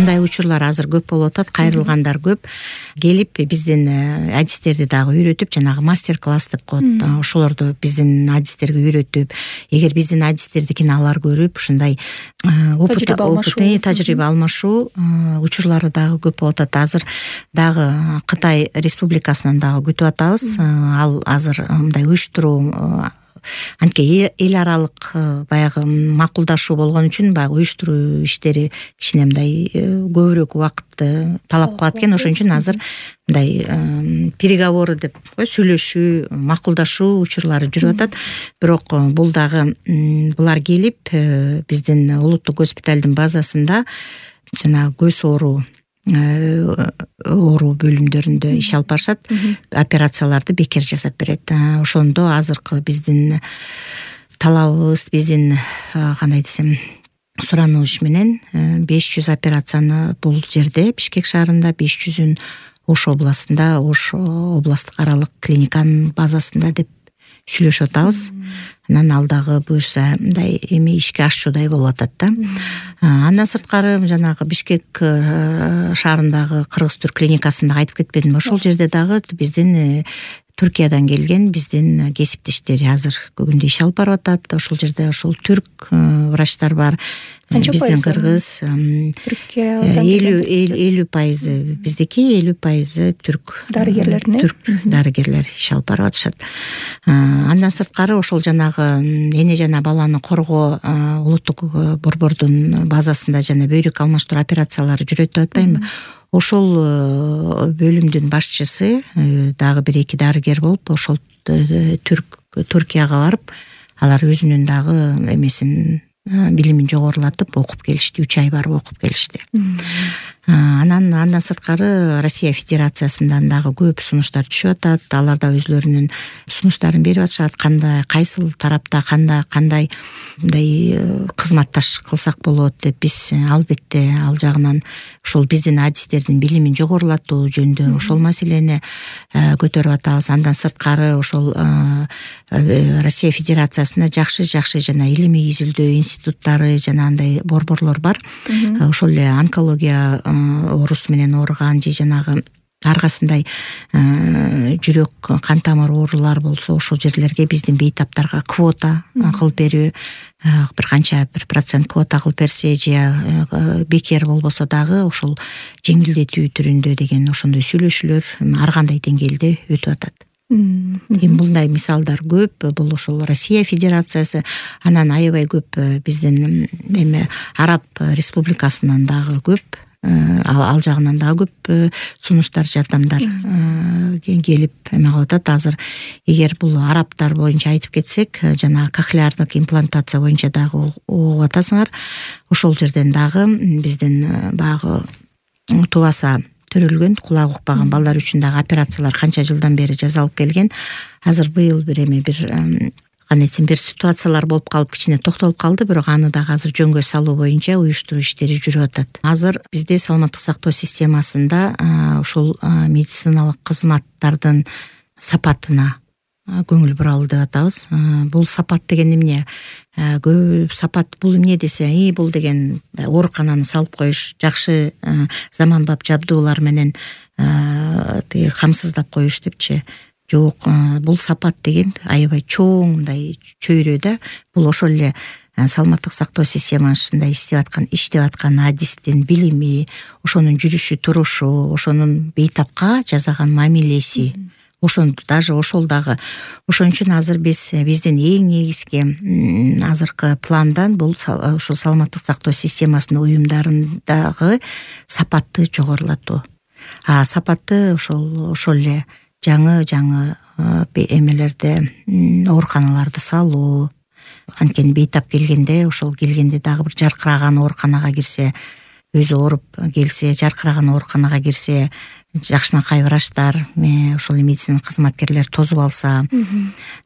мындай учурлар азыр көп болуп атат, кайрылгандар көп. Келип биздин адистерди дагы үйрөтүп, жанагы мастер класс деп коет, ошолорду биздин адистерге үйрөтүп, эгер биздин адистердикин алар көрүп, ушундай тажрыйба алмашуу учурлары дагы көп болуп атат. Азыр дагы Кытай Республикасынан дагы күтүп атабыз. Ал азыр мындай уюштуруу анткени эл аралык баягы макулдашуу болгон үчүн баягы уюштуруу иштери кичине мындай көбүрөөк убакытты талап кылат экен. Ошон үчүн азыр мындай переговоры деп сүйлөшүү, макулдашуу учурлары жүрүп атат. Бирок бул дагы булар келип биздин улуттук госпиталдын базасында жана көз оору бөлүмдөрүндө иш алып барышат, операцияларды бекер жасап берет. Ошондо азыркы биздин талабыбыз, биздин кандай десем сурануш менен 500 операцияны бул жерде Бишкек шаарында, 500-ün Ош областында, Ош областтык аралык клиниканын базасында деп сүйлөшүп атабыз. Анан ал дагы буюрса мындай эми ишке ашчудай болуп атат да. Андан сырткары жанагы Бишкек шаарындагы Кыргыз-Түрк клиникасында айтып кетпедимби? Ошол жерде дагы биздин Түркиядан келген биздин кесиптештери азыр бүгүндө иш алып барып атат. Ошол жерде ошол түрк врачтар бар. Биздин кыргыз 50% биздики, 50% түрк дарыгерлер иш алып барып атышат. Андан сырткары ошол жанагы эне жана баланы коргоо улуттук борбордун базасында жана бөйрөк алмаштыруу операциялары жүрөт деп атпаймынбы? Ошол бөлүмдүн башчысы дагы 1-2 дарыгер болуп, ошол Түркияга барып, алар өзүнүн дагы эмесин билимин жогорулатып окуп келишти, 3 ай барып окуп келишти. Андан сырткары Россия Федерациясынан дагы көп сунуштар түшүп атат. Алар да өзлөрүнүн сунуштарын берип атышат. Кандай кайсыл тарапта кандай мындай кызматташ кылсак болот деп биз албетте ал жагынан ошол биздин адистердин билимин жогорулатуу жөнүндө ошол маселени көтөрүп атабыз. Андан сырткары ошол Россия Федерациясында жакшы жана илимий изилдөө институттары жана андай борборлор бар. Ошол эле онкология оорусу менен ооруган же жанагы аргасындай жүрөк кан тамыр оорулар болсо ошол жерлерге биздин бейтаптарга квота кылып берүү, бир канча 1% квота кылып берсе же бекер болбосо дагы ошол жеңилдетүү түрүндө деген ошондой сүйлөшүүлөр ар кандай деңгээлде өтүп атат. Мындай мисалдар көп. Бул ошол Россия Федерациясы, анан аябай көп биздин эме Араб Республикасынан дагы көп, ал жагынан дагы көп сунуштар, жардамдар келип эме кылып атат. Азыр эгер бул арабтар боюнча айтып кетсек, жана кохлеардык имплантация боюнча дагы угуп атасыңар. Ошол жерден дагы биздин баягы тубаса төрөлгөн, кулак укпаган балдар үчүн дагы операциялар канча жылдан бери жасалып келген. Азыр быйыл бир ситуациялар болуп калып кичине токтолуп калды, бирок аны дагы азыр жөнгө салуу боюнча уюштуруу иштери жүрүп атат. Азыр бизде саламаттык сактоо системасында ушул медициналык кызматтардын сапатына көңүл буралы деп атабыз. Бул сапат деген эмне? Көп сапат бул эмне десе, бул деген оорукананы салып коюш, жакшы заманбап жабдуулар менен камсыздап коюш депчи. Жок, бул сапат деген аябай чоң мындай чөйрө да. Бул ошол эле саламаттык сактоо системасында иштеп аткан адистин билими, ошонун жүрүшү турушу, ошонун бейтапка жасаган мамилеси, даже ошол дагы. Ошон үчүн азыр биздин эң негизги азыркы пландан бул ошол саламаттык сактоо системасынын уюмдарындагы сапатты жогорулатуу. Сапатты ошол эле жаңы эмелерде ооруканаларды салуу. Анткени бейтап келгенде дагы бир жаркыраган ооруканага кирсе, өзү ооруп келсе, жаркыраган ооруканага кирсе, жакшынакай врачтар, ошол медицина кызматкерлери тозуп алса,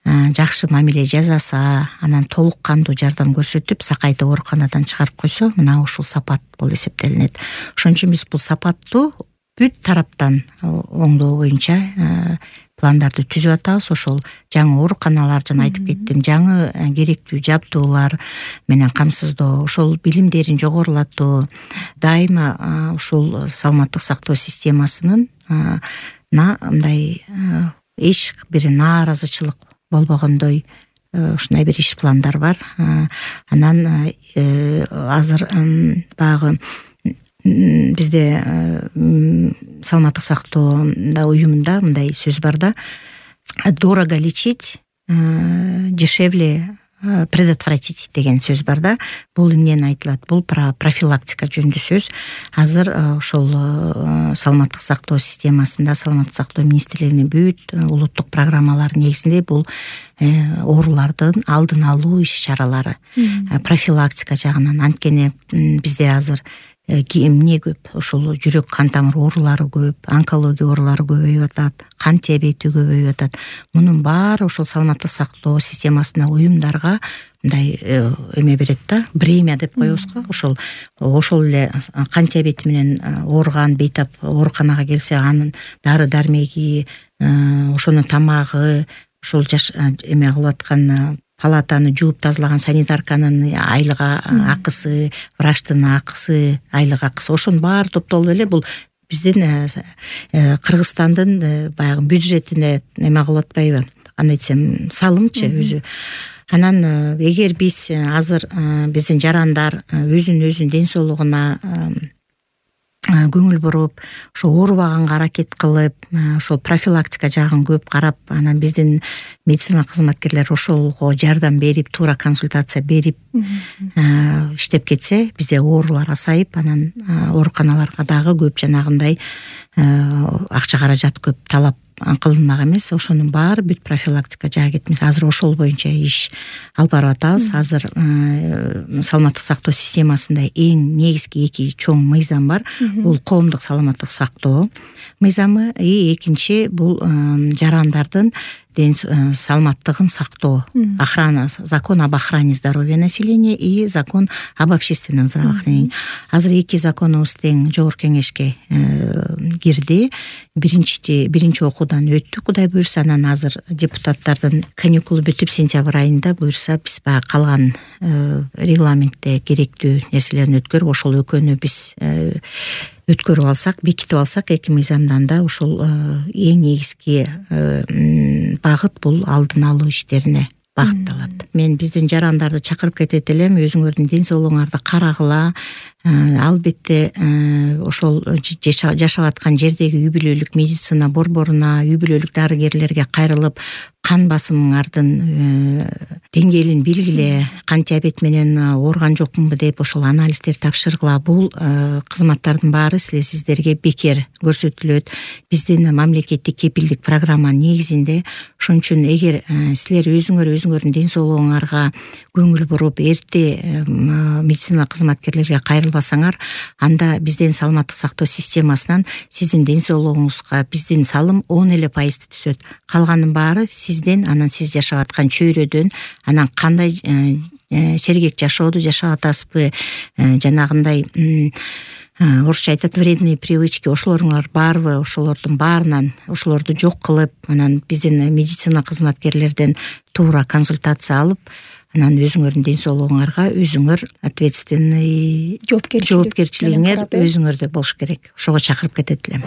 жакшы мамиле жасаса, анан толук кандуу жардам көрсөтүп, сакайтып ооруканадан чыгарып койсо, мына ушул сапат болуп эсептелинет. Ошон үчүн биз бул сапаттуу бүт тараптан оңдоо боюнча пландарды түзүп атабыз. Ошол жаңы ооруканалар, жана айтып кеттим, жаңы керектүү жабдуулар менен камсыздоо, ошол билимдерин жогорулатуу, дайыма ушул саламаттык сактоо системасынын мындай эч бир нааразычылык болбогондой ушундай бир иш пландар бар. Анан азыр баягы бизде саламаттык сактоо уюмунда мындай сөз бар да: дорого лечить, дешевле предотвратить деген сөз бар да. Бул эмнени айтылат? Бул профилактика жөнүндө сөз. Азыр ошол саламаттык сактоо системасында, саламаттык сактоо министрлигинин бүт улуттук программалары негизинде бул оорулардын алдын алуу иш-чаралары, профилактика жагынан. Анткени бизде азыр эмне көп? Ошол жүрөк кан тамыр оорулары көп, онкология оорулары көбөйүп атат, кан диабети көбөйүп атат. Мунун баары ошол саламаттык сактоо системасына, уюмдарга мындай эме берет да, бремя деп коебуз го. Ошол эле кан диабети менен ооруган, бейтап ооруканага келсе, анын дары дармеги, ошонун тамагы, ошол эме кылып аткан палатаны жууп тазалаган санитарканын айлык акысы, врачтын акысы, айлык акысы, ошонун баары топтолуп эле бул биздин Кыргызстандын баягы бюджетине эме кылып атпайбы, кандай десем, салымчы өзү. Анан эгер биз азыр биздин жарандар өзүнүн ден соолугуна көңүл буруп, ошо оорубаганга аракет кылып, ошол профилактика жагын көп карап, анан биздин медицина кызматкерлери ошолго жардам берип, туура консультация берип иштеп кетсе, бизде оорулар азайып, анан ооруканаларга дагы көп жанагындай акча каражат көп талап кылынмак эмес. Ошонун баары бүт профилактика жаы кетмес. Азыр ошол боюнча иш алып барып атабыз. Азыр саламаттык сактоо системасында эң негизги эки чоң мыйзам бар. Бул коомдук саламаттык сактоо мыйзамы, экинчи бул жарандардын саламаттыгын сактоо, охрана, закон об охране здоровья населения и закон об общественном здравоохранении. Азыр эки законубуз тең жогорку кеңешке кирди. Биринчи окуудан өттү, Кудай буйрса. Анан азыр депутаттардын каникулу бүтүп, сентябрь айында буйрса биз баягы калган регламентте керектүү нерселерин өткөрүп, ошол экөөнү биз өткөрүп алсак, бекитип алсак, эки мыйзамдан да ошол эң негизги багыт бул алдын алуу иштерине багытталат. Мен биздин жарандарды чакырып кетет элем, өзүңөрдүн ден соолугуңарды карагыла. Албетте ошол жашап аткан жердеги үй бүлөлүк медицина борборуна, үй бүлөлүк дарыгерлерге кайрылып, кан басымыңардын деңгээлин билгиле, кан диабет менен ооруган жокмунбу деп ошол анализдер тапшыргыла. Бул кызматтардын баары сиздерге бекер көрсөтүлөт. Биздин мамлекеттик кепилдик программа негизинде. Ошон үчүн эгер силер өзүңөрдүн ден соолугуңарга көңүл буруп, эрте медицина кызматкерлерге кайрылбасаңар, анда биздин саламаттык сактоо системасынан сиздин ден соолугуңузга биздин салым 10% түсөт. Калганын баары сизден, анан сиз жашап аткан чөйрөдөн, анан кандай сергек жашоодо жашап атасызбы, жанагындай орусча айтат вредные привычки, ошолоруңар барбы, ошолордун баарынан ошолорду жок кылып, анан биздин медицина кызматкерлерден туура консультация алып, анан өзүңөрдүн ден соолугуңарга өзүңөр ответственный жоопкерчилигиңер өзүңөрдө болуш керек. Ошого чакырып кетет элем.